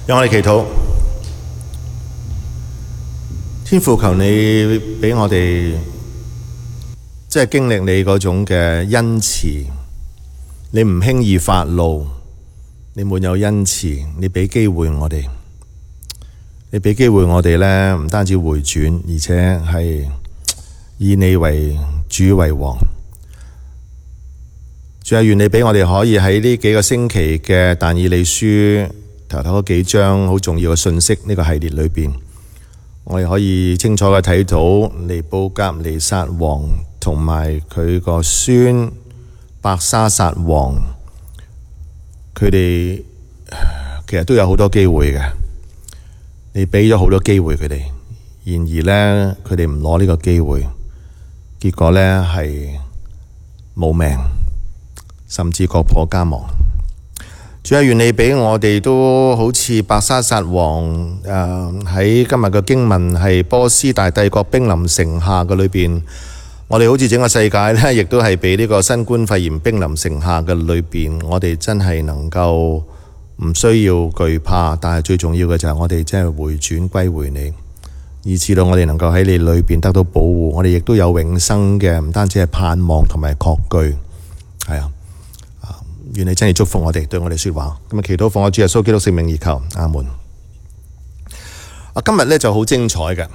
讓我哋祈禱，天父，求你俾我哋即係經歷你嗰種嘅恩慈，你唔輕易發怒，你滿有恩慈，你俾機會我哋，你俾機會我哋咧，唔單止回轉，而且係以你為主為王。主啊，願你俾我哋可以喺呢幾個星期嘅但以理書頭嗰幾章好重要嘅信息呢個系列裏邊，我哋可以清楚嘅睇到尼布甲尼撒王同埋佢個孫伯沙撒王，佢哋其實都有好多機會嘅，你俾咗好多機會佢哋，然而呢，佢哋唔攞呢個機會，結果呢係冇命，甚至國破家亡。主啊，願你俾我哋都好似伯沙撒王喺今日嘅經文係波斯大帝國兵臨城下嘅裏邊，我哋好似整個世界呢，亦都係俾呢個新冠肺炎兵臨城下嘅裏邊，我哋真係能夠唔需要懼怕，但係最重要嘅就係我哋真係回轉歸回你，以至到我哋能夠喺你裏邊得到保護，我哋亦都有永生嘅，唔單止係盼望同埋確據，係啊。願你真係祝福我哋，對我哋說話。咁啊，祈禱奉我主耶穌基督聖名而求，阿門。今日咧就好精彩嘅。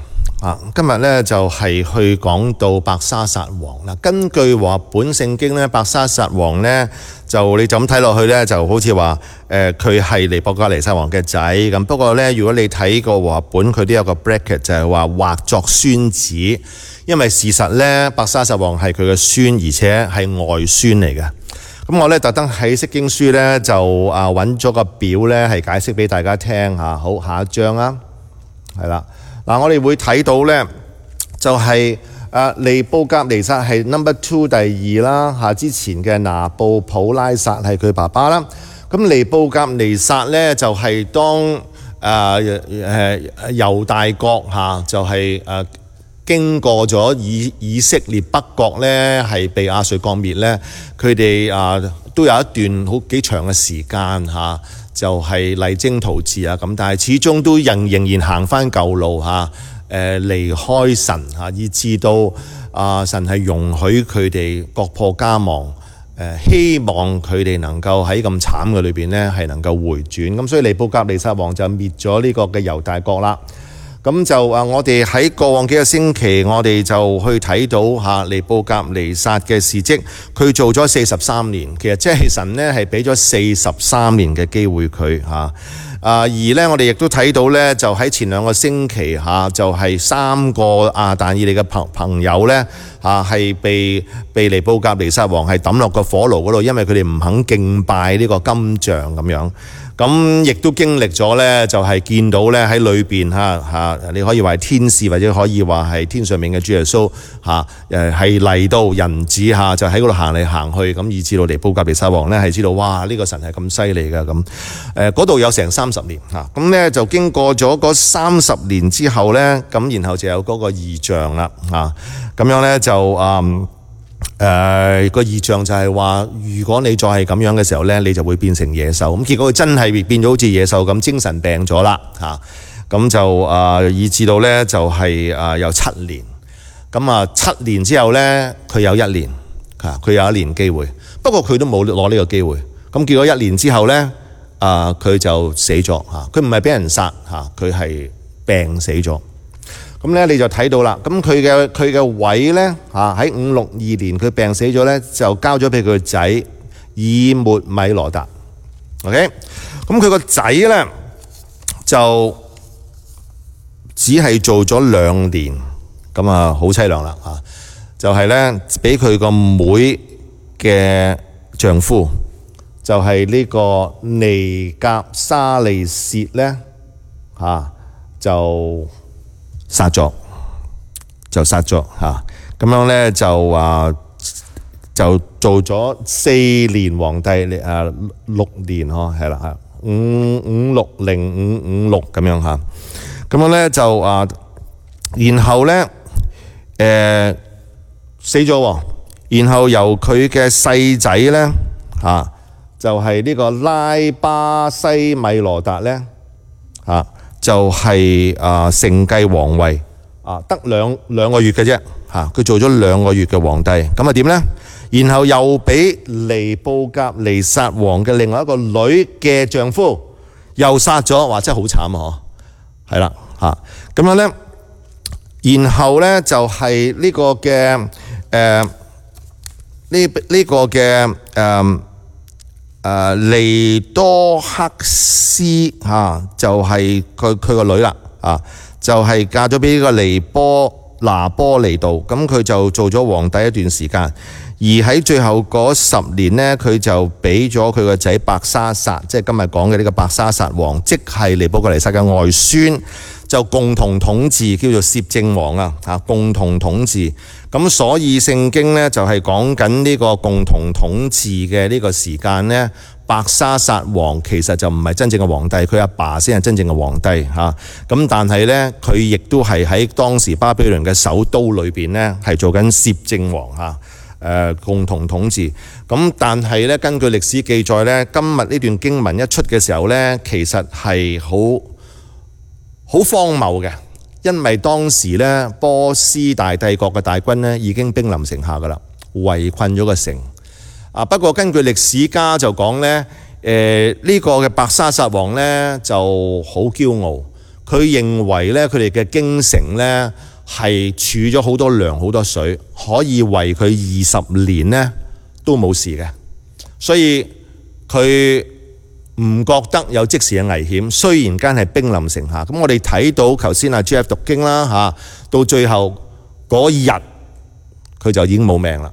今日咧就係去講到伯沙撒王啦。根據和合本聖經咧，伯沙撒王咧就你就咁睇落去咧，就好似話佢係尼布甲尼撒王嘅仔咁。不過咧，如果你睇過和合本，佢都有個 bracket 就係話畫作孫子，因為事實咧伯沙撒王係佢嘅孫，而且係外孫嚟嘅。咁我咧特登喺釋經書咧就揾咗個表咧係解釋俾大家聽吓。好，下一章啊，係啦。嗱，我哋會睇到咧就係尼布甲尼撒係 number 2第二啦吓，之前嘅拿布普拉撒係佢爸爸啦。咁尼布甲尼撒咧就係當猶大國吓就係經過咗以色列北國咧，係被亞述國滅咧，佢哋都有一段好幾長嘅時間嚇，就係勵精圖治啊咁，但係始終都仍然行翻舊路嚇，離開神嚇，以至到神係容許佢哋國破家亡，希望佢哋能夠喺咁慘嘅裏邊咧係能夠回轉，咁所以尼布甲尼撒王就滅咗呢個嘅猶大國啦。咁就我哋喺過往幾個星期，我哋就去睇到尼布甲尼撒嘅事蹟，佢做咗43年，其實即係神呢係俾咗43年嘅機會佢嚇。而呢，我哋亦都睇到呢，就喺前2個星期就係3個但以理嘅朋友呢係被尼布甲尼撒王係抌落個火爐嗰度，因為佢哋唔肯敬拜呢個金像咁樣。咁亦都經歷咗呢，就係見到呢喺裏邊你可以話係天使，或者可以話係天上面嘅主耶穌係嚟到人子就喺嗰度行嚟行去，咁以至到尼布甲尼撒王呢係知道哇呢個神係咁犀利㗎咁。嗰度有成30年咁呢就經過咗嗰30年之後呢，咁然後就有嗰個異象啦咁樣呢就個異象就係話，如果你再係咁樣嘅時候呢，你就會變成野獸。咁結果佢真係變咗好似野獸咁，精神病咗啦咁就以至到呢就係有7年。咁7年之後呢，佢有1年佢有1年機會。不過佢都冇攞呢個機會。咁結果1年之後呢，佢就死咗佢唔係俾人殺佢係病死咗。咁咧你就睇到啦，咁佢嘅位咧喺562年佢病死咗咧，就交咗俾佢個仔以末米羅達。OK， 咁佢個仔咧就只係做咗2年，咁好凄涼啦就係咧俾佢個妹嘅丈夫，就係呢個尼甲沙利薛咧就殺咗咁樣咧就做咗4年皇帝6年係啦560、556咁樣咁樣咧就然後咧死咗，然後由佢嘅細仔咧就係呢個拉巴西米羅達咧就係承繼皇位得兩個月嘅啫佢做咗2個月嘅皇帝，咁點呢？然後又俾尼布甲尼撒王嘅另外一個女嘅丈夫又殺咗，哇！真係好慘啊！係啦咁樣呢，然後呢，就係呢個嘅呢個嘅尼多克斯就係佢個女啦就係嫁咗俾呢個拿波尼度，咁佢就做咗皇帝一段時間，而喺最後嗰10年呢，佢就俾咗佢個仔伯沙撒，即係今日講嘅呢個伯沙撒王，即係尼布甲尼撒嘅外孫，就共同統治，叫做攝政王共同統治。咁所以聖經呢，就係講緊呢個共同統治嘅呢個時間呢，伯沙撒王其實就唔係真正嘅皇帝，佢阿爸先係真正嘅皇帝咁但係呢，佢亦都係喺當時巴比倫嘅首都裏邊呢，係做緊攝政王共同統治。咁但係呢，根據歷史記載呢，今日呢段經文一出嘅時候呢，其實係好荒謬嘅，因為當時呢，波斯大帝國嘅大軍呢已經兵臨城下噶啦，圍困咗個城。不過根據歷史家就講呢，呢個嘅伯沙撒王呢就好驕傲，佢認為呢，佢哋嘅京城呢係儲咗好多糧好多水，可以為佢20年呢都冇事嘅，所以佢唔覺得有即時嘅危險。雖然間係兵臨城下，咁我哋睇到頭先Jeff讀經啦到最後嗰日佢就已經冇命啦。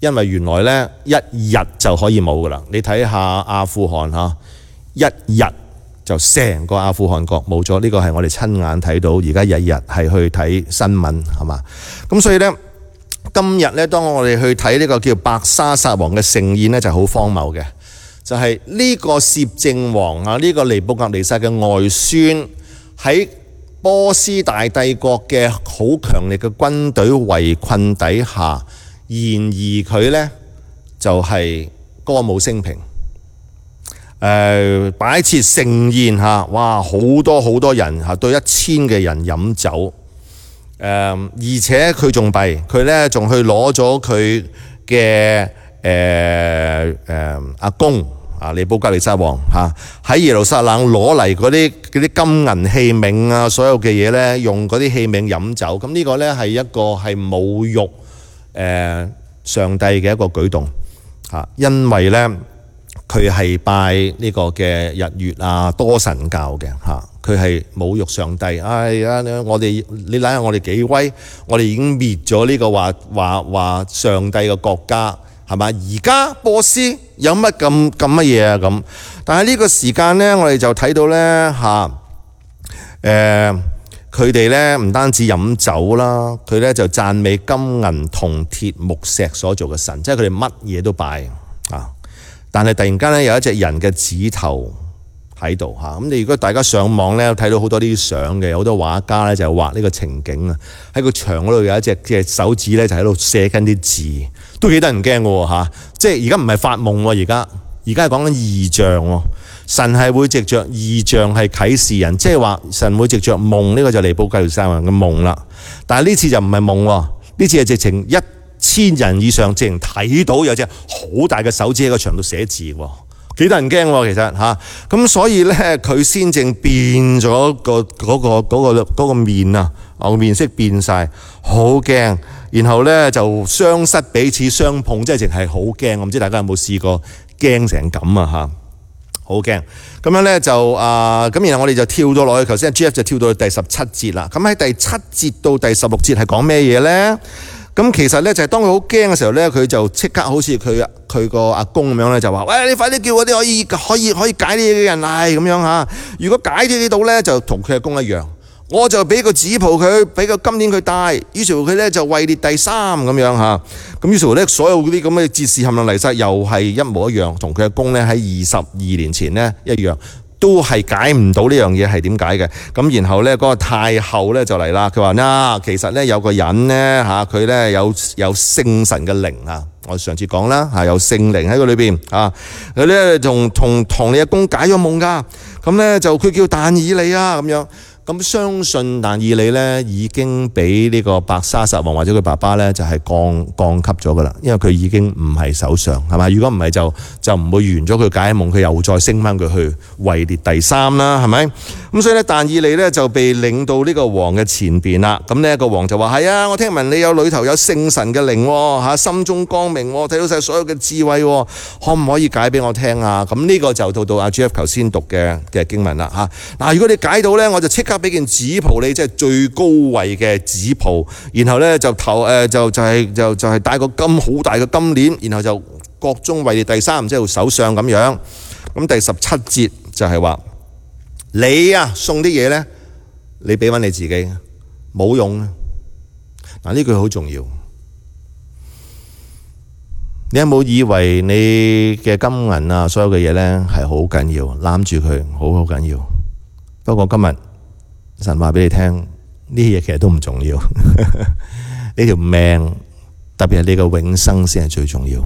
因為原來呢1日就可以冇噶啦，你睇下阿富汗1日就成個阿富汗國冇咗，呢個係我哋親眼睇到，而家日日係去睇新聞係嘛？咁所以呢，今日呢，當我哋去睇呢個叫伯沙撒王嘅盛宴呢，就好荒謬嘅，就係呢個攝政王呢個尼布甲尼撒嘅外孫喺波斯大帝國嘅好強力嘅軍隊圍困底下。然而佢呢，就係歌舞升平，擺設盛宴哇！好多人對1000嘅人飲酒，而且佢仲弊，佢呢仲去攞咗佢嘅阿公尼布甲尼撒王喺耶路撒冷攞嚟嗰啲金銀器皿所有嘅嘢呢，用嗰啲器皿飲酒，咁呢個呢係一個係侮辱上帝嘅一個舉動因為呢佢係拜呢個嘅日月多神教嘅佢係侮辱上帝。我哋你睇下我哋幾威，我哋已經滅咗呢個話上帝嘅國家係嘛？而家波斯有乜咁乜嘢咁？但係呢個時間呢，我哋就睇到呢佢哋呢唔單止飲酒啦，佢呢就讚美金銀銅鐵木石所做嘅神，即係佢哋乜嘢都拜但係突然間呢，有一隻人嘅指頭喺度咁你如果大家上網呢，睇到好多呢啲相嘅，有好多畫家呢就畫呢個情景喺個牆嗰度有一隻嘅手指呢，就喺度寫緊啲字，都幾得人驚嘅即係而家唔係發夢而家係講緊異象神係會藉着異象係啟示人，即係話神會藉着夢，呢個就尼布甲尼撒王嘅夢啦。但係呢次就唔係夢，呢次係直情1000人以上直情睇到有隻好大嘅手指喺個牆度寫字，幾得人驚其實咁所以呢，佢先正變咗嗰個面個面色變晒，好驚，然後呢，就雙膝彼此相碰，即係淨係好驚。我唔知大家有冇試過驚成咁好驚。咁樣呢，就咁然後我哋就跳咗落去，頭先 Jeff 就跳到去第17節啦。咁喺第7節到第16節係講咩嘢呢？咁其實呢，就係當佢好驚嘅時候呢，佢就即刻好似佢個阿公咁樣呢，就話：喂，你快啲叫嗰啲可以解呢嘅人嚟咁樣如果解呢度呢，就同佢阿公一樣，我就俾個紫袍佢，俾個金鏈佢戴。於是乎佢呢，就位列第3咁樣咁於是乎呢，所有嗰啲咁嘅哲士冚唪唥嚟晒，又係一模一樣，同佢阿公呢喺22年前呢一樣，都係解唔到呢樣嘢係點解嘅。咁然後呢，嗰個太后呢就嚟啦，佢話其實呢，有個人呢佢呢有聖神嘅靈我上次講啦有聖靈喺佢裏邊佢呢同你阿公解咗夢噶。咁咧就佢叫但以理啊咁樣。咁相信但以理咧已經俾呢個伯沙撒王或者佢爸爸咧就係降級咗噶啦，因為佢已經唔係首相係嘛？如果唔係就唔會完咗佢解夢，佢又再升翻佢去位列第3啦，係咪？咁所以咧但以理咧就被領到呢個王嘅前邊啦。咁呢個王就話：係啊，我聽聞你有裏頭有聖神嘅靈嚇，心中光明，睇到晒所有嘅智慧，可唔可以解俾我聽啊？咁呢個就到阿 Jeff 頭先讀嘅經文啦嚇。嗱，如果你解到咧，我就即刻俾件紫袍你，即係最高位嘅紫袍，然後咧就係戴個好大嘅金鏈，然後就國中位列第3，即係首相咁樣。咁第17節就係話你啊送啲嘢咧，你俾翻你自己冇用啊！嗱，呢句好重要。你有冇以為你嘅金銀啊，所有嘅嘢咧係好緊要，攬住佢好緊要？不過今日神話俾你聽，呢啲嘢其實都唔重要。呢條命，特別係你嘅永生先係最重要。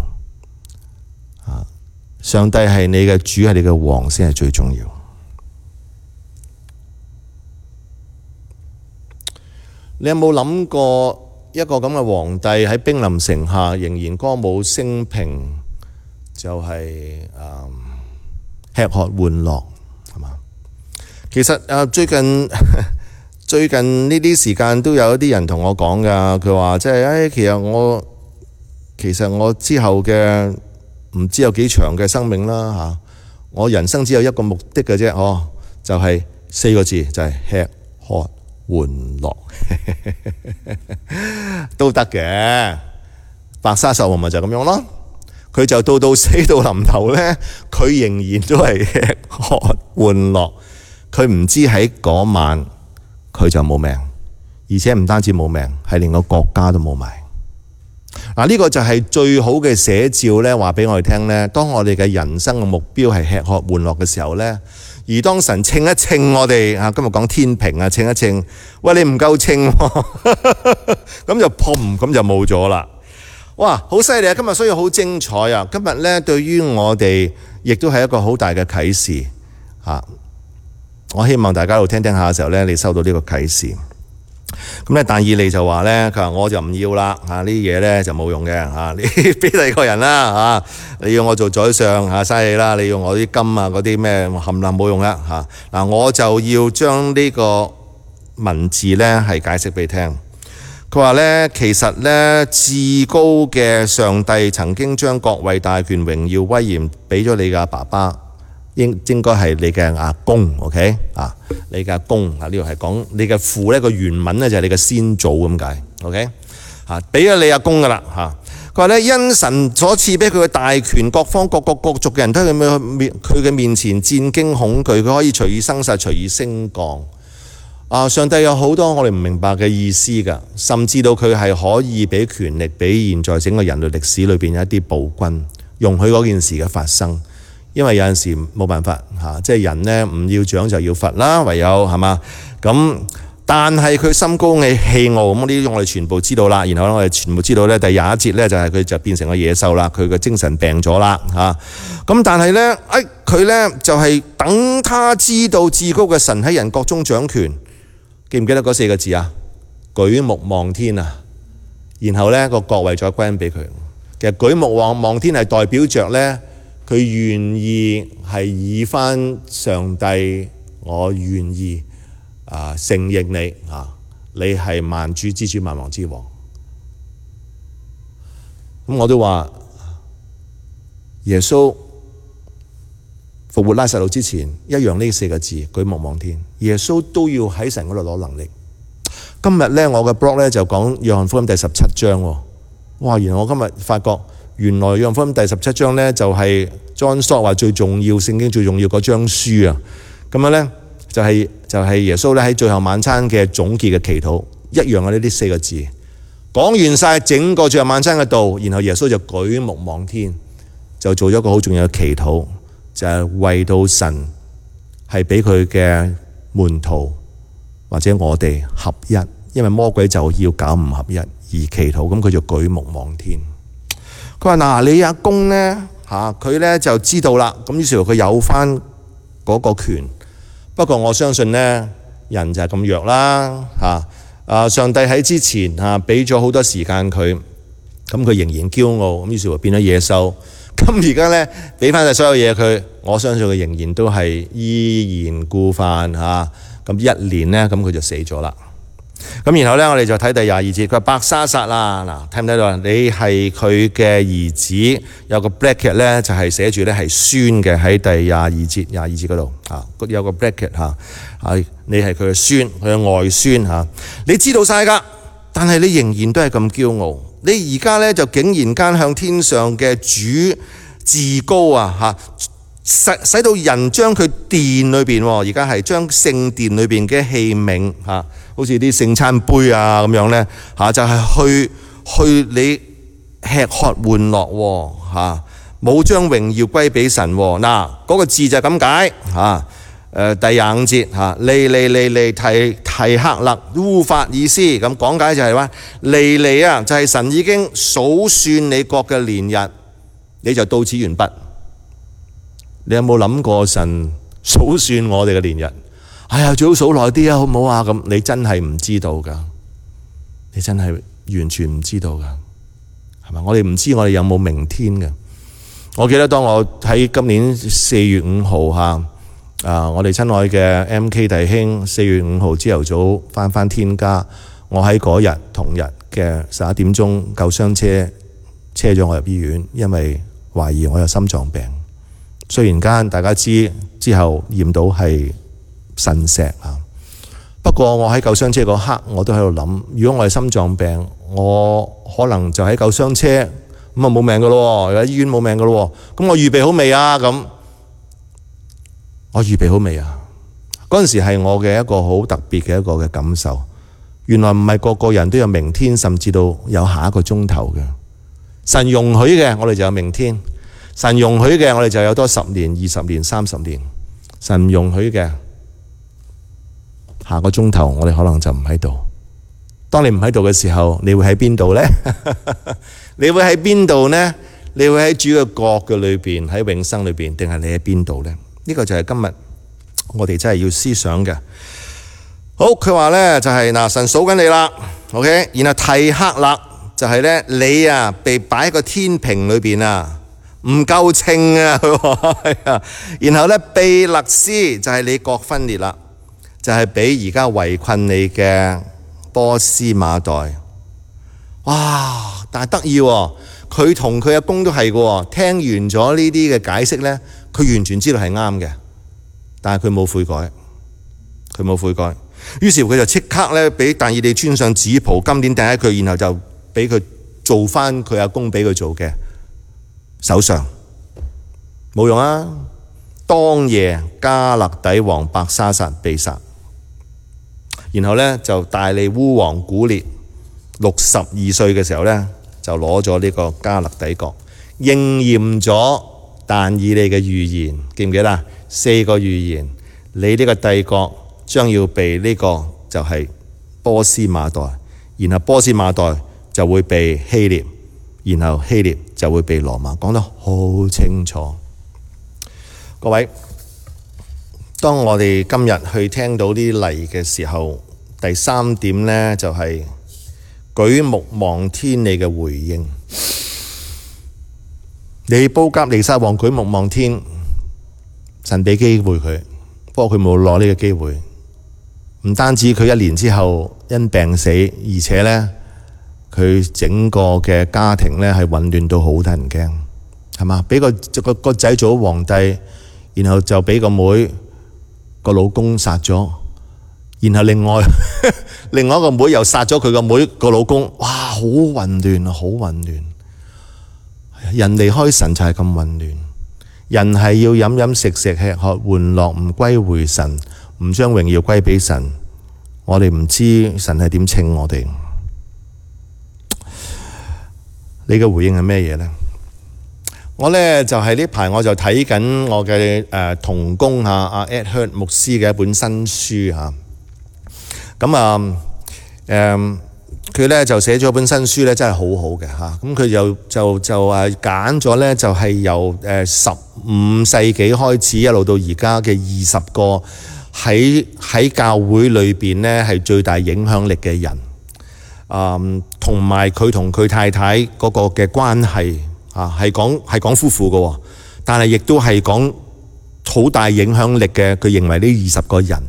上帝係你嘅主，係你嘅王先係最重要。你有冇諗過一個咁嘅皇帝喺兵臨城下，仍然歌舞升平，就係吃喝玩樂，係嘛？其實最近呢啲時間都有一啲人同我講㗎，佢話即係其實我之後嘅唔知有幾長嘅生命啦嚇，我人生只有一個目的嘅啫，就係4個字，就係吃喝玩樂都得嘅。伯沙撒王咪就咁樣咯，佢就到死到臨頭咧，佢仍然都係吃喝玩樂。佢唔知喺嗰晚佢就冇命，而且唔單止冇命，係連個國家都冇埋。嗱，呢個就係最好嘅寫照咧，話俾我哋聽咧。當我哋嘅人生嘅目標係吃喝玩樂嘅時候咧，而當神稱一稱我哋今日講天平啊，稱一稱，喂，你唔夠稱，咁就砰，咁就冇咗啦。哇，好犀利啊！今日所以好精彩啊！今日咧對於我哋亦都係一個好大嘅啟示嚇。我希望大家喺度聽下嘅時候咧，你收到呢個啟示。咁咧，但以理就話咧，佢話我就唔要啦嚇，呢啲嘢咧就冇用嘅嚇，你俾第二個人啦嚇，你要我做宰相嚇，嘥氣啦，你要我啲金啊嗰啲咩冚唪唥冇用啦嚇。嗱，我就要將呢個文字咧係解釋俾你聽。佢話咧，其實咧至高嘅上帝曾經將國位、大權、榮耀、威嚴俾咗你嘅爸爸。應該係你嘅阿公 ，OK 啊？你嘅阿公啊，呢度係講你嘅父咧，個原文咧就係你嘅先祖咁解 ，OK 啊？俾咗你阿公噶啦嚇。佢話咧，因神所賜俾佢嘅大權，各方各國各族嘅人都喺佢嘅面前戰驚恐懼，佢可以隨意生殺，隨意升降。上帝有好多我哋唔明白嘅意思㗎，甚至到佢係可以俾權力俾現在整個人類歷史裏邊有一啲暴君，容許嗰件事嘅發生。因為有陣時冇辦法嚇，即係人呢唔要獎就要罰啦，唯有係嘛咁。但係佢心高氣傲，咁呢啲我哋全部知道啦。然後我哋全部知道咧，第21節咧就係佢就變成個野獸啦，佢個精神病咗啦嚇。咁但係咧，佢咧就係等他知道至高嘅神喺人國中掌權，記唔記得嗰4個字啊？舉目望天啊，然後咧個國位再歸俾佢。其實舉目望天係代表着咧。佢願意係以返上帝，我願意承認你你係萬主之主、萬王之王。咁我都話耶穌復活拉撒路之前一樣呢4個字舉目望天，耶穌都要喺神嗰度攞能力。今日咧我嘅 blog 咧就講約翰福音第17章喎。哇！原來我今日發覺。原來約翰福音第17章咧就係 John Stott 話最重要聖經最重要嗰章書啊。咁樣咧就係耶穌咧喺最後晚餐嘅總結嘅祈禱一樣嘅呢啲4個字，講完晒整個最後晚餐嘅道，然後耶穌就舉目望天，就做咗一個好重要嘅祈禱，就係為到神係俾佢嘅門徒或者我哋合一，因為魔鬼就要搞唔合一而祈禱，咁佢就舉目望天。佢話你阿公咧佢咧就知道啦，咁於是乎佢有翻嗰個權不過我相信呢，人就係咁弱啦上帝喺之前俾咗好多時間佢，咁佢仍然驕傲，咁於是乎變咗野獸。咁而家呢，俾翻晒所有嘢佢，我相信佢仍然都係依然故犯咁一年呢，咁佢就死咗啦。咁然後呢，我哋就睇第22節，佢話伯沙撒啦，嗱，睇唔睇到啊？你係佢嘅兒子，有個 bracket 呢，就係寫住呢係孫嘅，喺第22節嗰度有個 bracket 你係佢嘅孫，佢嘅外孫你知道晒㗎，但係你仍然都係咁驕傲。你而家呢，就竟然間向天上嘅主自高使到人將佢殿裏邊，而家係將聖殿裏邊嘅器皿好似啲聖餐杯咁樣呢，就係去你吃喝玩樂冇將榮耀歸俾神嗱，嗰個字就係咁解第25節利提克勒烏法爾斯，咁講解就係話利就係神已經數算你國嘅年日，你就到此完畢。你有冇諗過神數算我哋嘅年日？哎呀，最好數耐啲好唔好啊？咁你真係唔知道㗎，你真係完全唔知道㗎，係咪？我哋唔知我哋有冇明天嘅。我記得當我喺今年4月5號我哋親愛嘅 MK 弟兄4月5號朝頭早返天家，我喺嗰日同日嘅11點鐘救傷車車咗我入醫院，因為懷疑我有心臟病。雖然間大家知之後驗到係腎石不過我喺救傷車嗰刻我都喺度諗，如果我係心臟病，我可能就喺救傷車咁冇命噶咯，喺醫院冇命噶咯。咁我預備好未啊？咁我預備好未啊？嗰陣時係我嘅一個好特別嘅一個嘅感受。原來唔係個個人都有明天，甚至到有下一個鐘頭嘅。神容許嘅，我哋就有明天。神容許嘅，我哋就有多10年、20年、30年。神唔容許嘅，下個鐘頭我哋可能就唔喺度。當你唔喺度嘅時候，你會喺邊度呢？你會喺邊度呢？你會喺主嘅國嘅裏邊，喺永生裏邊，定係你喺邊度呢？呢個就係今日我哋真係要思想嘅。好，佢話呢就係神數緊你啦 ，OK。然後提克勒就係呢，你被擺喺個天平裏邊唔夠稱佢話然後呢，庇勒斯就係你國分裂啦，就係俾而家圍困你嘅波斯馬代。哇！但係得意喎，佢同佢阿公都係嘅。聽完咗呢啲嘅解釋呢，佢完全知道係啱嘅，但係佢冇悔改，佢冇悔改。於是佢就即刻呢，俾但以理穿上紫袍，金鏈戴喺佢，然後就俾佢做翻佢阿公俾佢做嘅首相。冇用啊！當夜加勒底王伯沙撒被殺，然後呢，就大利烏王古列62歲嘅時候呢，就攞咗呢個加勒底國，應驗咗但以理嘅預言，記唔記得？4個預言，你呢個帝國將要被呢個就係波斯馬代，然後波斯馬代就會被希臘，然後希臘就會被羅馬，講得好清楚。各位，當我哋今日去聽到啲例嘅時候，第3點呢，就係舉目望天你嘅回應。尼布甲尼撒王舉目望天，神俾機會佢，不過佢冇攞呢個機會。唔單止佢1年之後因病死，而且呢，佢整個嘅家庭呢係混亂到好得人驚，係嘛？俾個仔做咗皇帝，然後就俾個妹個老公殺咗，然後另外一個妹又殺咗佢個妹個老公，哇！好混亂啊，好混亂。人離開神就係咁混亂，人係要飲飲食食吃喝玩樂，唔歸回神，唔將榮耀歸俾神。我哋唔知神係點稱我哋。你嘅回應係咩嘢呢？我呢就係呢排我就睇緊我嘅同工阿 Ed Hurt 牧師嘅一本新書咁佢呢就寫咗本新書呢，真係好好嘅咁佢就揀咗呢，就係由15世紀開始一路到而家嘅20個喺教會裏邊咧係最大影響力嘅人，同埋佢同佢太太嗰個嘅關係係講夫婦嘅，但係亦都係講好大影響力嘅。佢認為呢20個人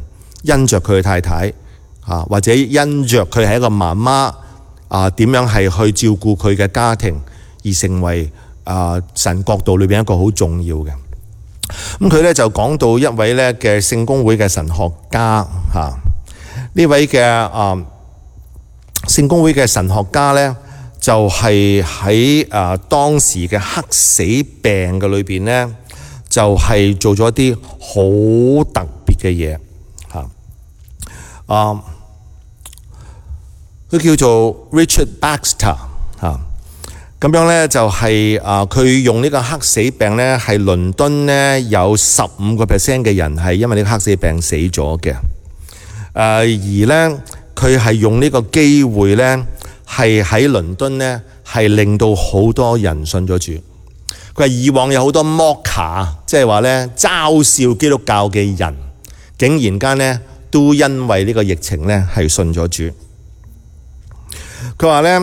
因着佢嘅太太或者因着佢係一個媽媽點樣係去照顧佢嘅家庭，而成為神國度裏邊一個好重要嘅。咁佢咧就講到一位咧嘅聖公會嘅神學家呢位嘅聖公會嘅神學家咧就係喺當時嘅黑死病嘅裏邊咧就係做咗一啲好特別嘅嘢佢叫做 Richard Baxter 咁樣咧就係佢用呢個黑死病咧係倫敦咧有15% 嘅人係因為呢個黑死病死咗嘅，而咧佢係用呢個機會咧係喺倫敦咧係令到好多人信咗主。佢話以往有好多 mocker， 即係話咧嘲笑基督教嘅人，竟然間咧都因為呢個疫情咧係信咗主。佢話咧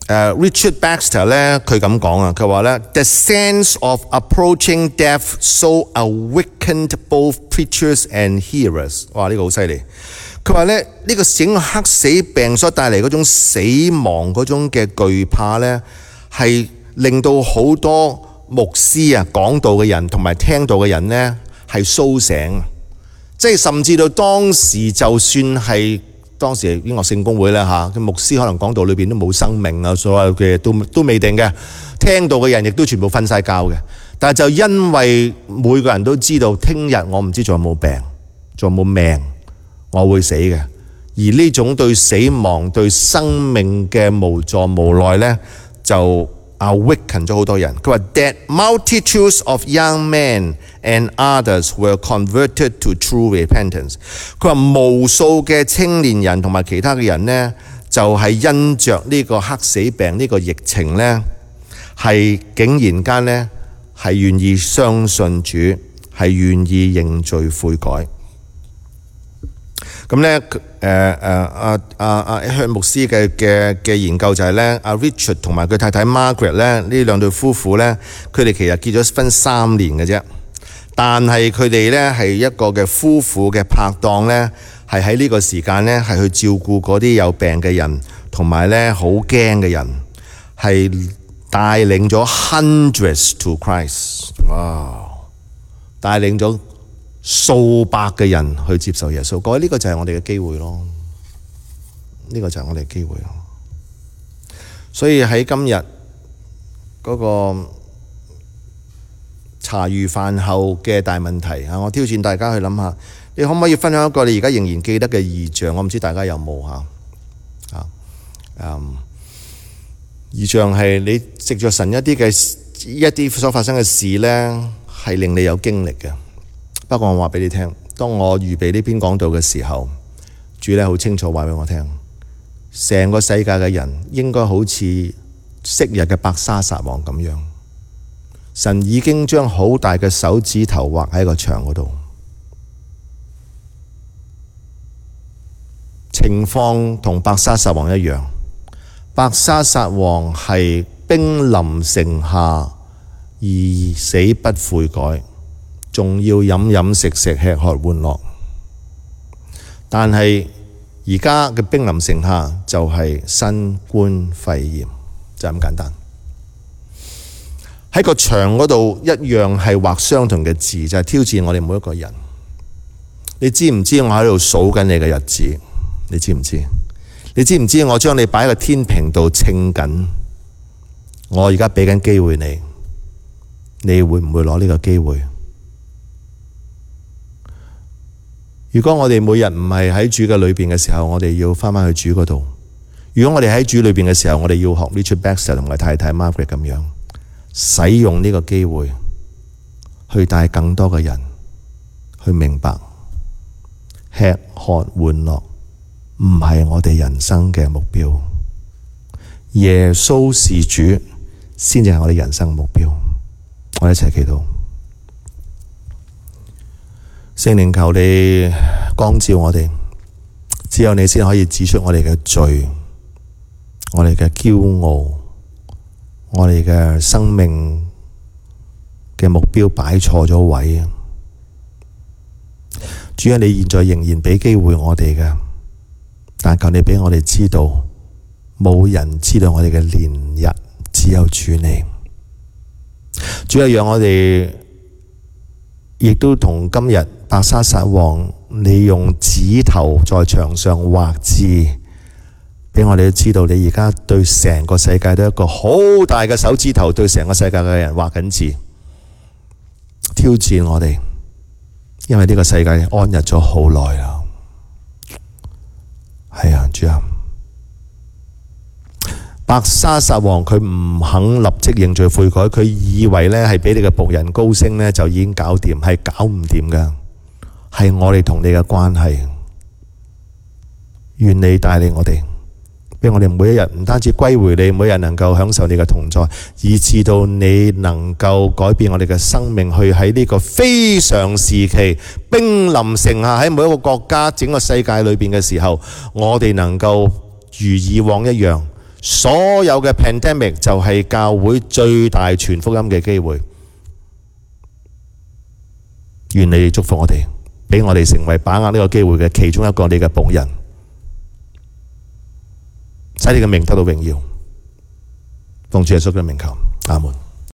Richard Baxter 咧，佢咁講佢話咧 The sense of approaching death so awakened both preachers and hearers。哇！呢個好犀利。佢話咧呢個整個黑死病所帶嚟嗰種死亡嗰種嘅懼怕咧，係令到好多牧師講道嘅人同埋聽道嘅人咧係蘇醒，即係甚至到當時就算係。當時英國聖公會咧牧師可能講道裏邊都冇生命所有嘅都未定嘅，聽到嘅人亦都全部瞓晒覺嘅。但係就因為每個人都知道聽日我唔知仲有冇病，仲有冇命，我會死嘅。而呢種對死亡、對生命嘅無助無奈咧，就awaken 咗好多人。佢話 that multitudes of young men and others were converted to true repentance。佢話無數嘅青年人同埋其他嘅人呢，就係因着呢個黑死病呢個疫情呢，係竟然間呢係願意相信主，係願意認罪悔改。咁咧向牧師嘅研究就係咧Richard 同埋佢太太 Margaret 咧呢兩對夫婦咧，佢哋其實結咗婚3年嘅啫，但係佢哋咧係一個嘅夫婦嘅拍檔咧，係喺呢個時間咧係去照顧嗰啲有病嘅人，同埋咧好驚嘅人，係帶領咗 hundreds to Christ。哇！帶領咗數百嘅人去接受耶穌，各位呢個就係我哋嘅機會咯，呢個就係我哋嘅機會咯。所以喺今日嗰個茶餘飯後嘅大問題我挑戰大家去諗下，你可唔可以分享一個你而家仍然記得嘅異象？我唔知大家有冇異象係你藉着神一啲所發生嘅事呢，係令你有經歷嘅。不過我話俾你聽，當我預備呢篇講道嘅時候，主咧好清楚話俾我聽，成個世界嘅人應該好似昔日嘅伯沙撒王咁樣，神已經將好大嘅手指頭畫喺個牆嗰度，情況同伯沙撒王一樣。伯沙撒王係兵臨城下而死不悔改，仲要飲飲食食吃喝玩樂。但係而家嘅兵臨城下就係新冠肺炎，就咁簡單。喺個牆嗰度一樣係畫相同嘅字，就係挑戰我哋每一個人。你知唔知我喺度數緊你嘅日子？你知唔知？你知唔知我將你擺喺個天平度稱緊？我而家俾緊機會你，你會唔會攞呢個機會？如果我哋每日唔係喺主嘅裏邊嘅時候，我哋要翻返去主嗰度。如果我哋喺主裏邊嘅時候，我哋要學 Richard Baxter 同埋太太 Margaret 咁樣，使用呢個機會去帶更多嘅人去明白，吃喝玩樂唔係我哋人生嘅目標，耶穌是主先至係我哋人生嘅目標。我哋一齊祈禱。聖靈求你光照我哋，只有你先可以指出我哋嘅罪，我哋嘅驕傲，我哋嘅生命嘅目標擺錯咗位。主啊，你現在仍然俾機會我哋嘅，但求你俾我哋知道，冇人知道我哋嘅年日，只有主你。主啊，讓我哋亦都同今日伯沙撒王，你用指頭在牆上畫字，俾我哋都知道你而家對成個世界都一個好大嘅手指頭，對成個世界嘅人畫緊字，挑戰我哋，因為呢個世界安逸咗好耐啦。係啊，主啊，伯沙撒王佢唔肯立即認罪悔改，佢以為呢係俾你嘅僕人高升呢就已經搞掂，係搞唔掂噶，係我哋同你嘅關係。願你帶領我哋，俾我哋每一日唔單止歸回你，每日能夠享受你嘅同在，以至到你能夠改變我哋嘅生命，去喺呢個非常時期兵臨城下，喺每一個國家整個世界裏邊嘅時候，我哋能夠如以往一樣，所有嘅 pandemic 就係教會最大傳福音嘅機會。願你祝福我哋，俾我哋成為把握呢個機會嘅其中一個你嘅僕人，使你嘅名得到榮耀。奉主耶穌嘅名求，阿門。